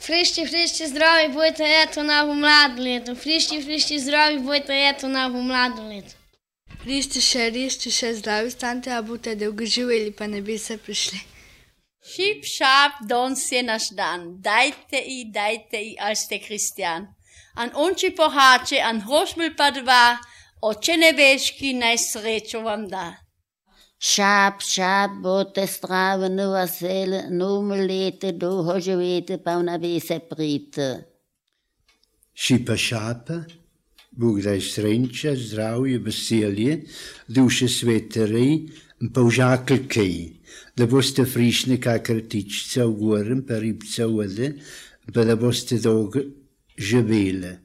Фришті, здраві будете, ето ново младо лето. Фришті, здраві будете, ето ново младо лето. Rište, zdravi stanite, a boste dolgo živeli, pa ne bi se prišli. Šip, šap, danes je naš dan. Dajte i, als ste kristjan. An onči pohače, an hrošmil pa dva, oče nebeški naj srečo vam da. Šap, bote zdravi, novo leto, dolgo živete, pa ne bi se priti. Šipa, Bog daj sreča, zdravje, veselje, duše sveterej, pa užakelkej, da boste frišne kakor tičica v gorem, pa ribca vode, pa da boste dolgo živeli.